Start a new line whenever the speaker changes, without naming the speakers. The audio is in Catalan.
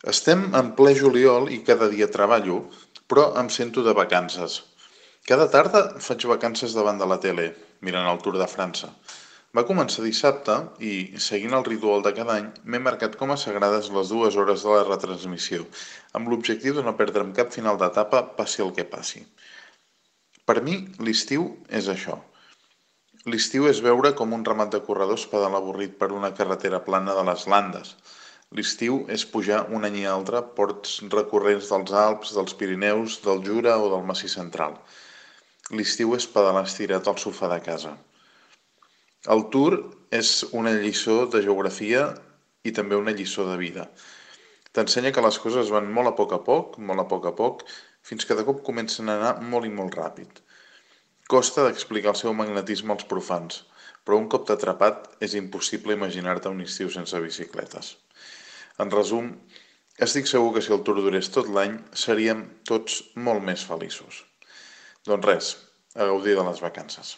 Estem en ple juliol i cada dia treballo, però em sento de vacances. Cada tarda faig vacances davant de la tele, mirant el Tour de França. Va començar dissabte i, seguint el ritual de cada any, m'he marcat com a sagrades les 2 hores de la retransmissió, amb l'objectiu de no perdre'm cap final d'etapa, passi el que passi. Per mi, l'estiu és això. L'estiu és veure com un ramat de corredors pedala avorrit per una carretera plana de les Landes. L'estiu és pujar un any i altre ports recurrents dels Alps, dels Pirineus, del Jura o del Massís Central. L'estiu és pedalar estirat al sofà de casa. El Tour és una lliçó de geografia i també una lliçó de vida. T'ensenya que les coses van molt a poc, fins que de cop comencen a anar molt i molt ràpid. Costa d'explicar el seu magnetisme als profans, però un cop t'ha atrapat és impossible imaginar-te un estiu sense bicicletes. En resum, estic segur que si el Tour durés tot l'any, seríem tots molt més feliços. Doncs res, a gaudir de les vacances.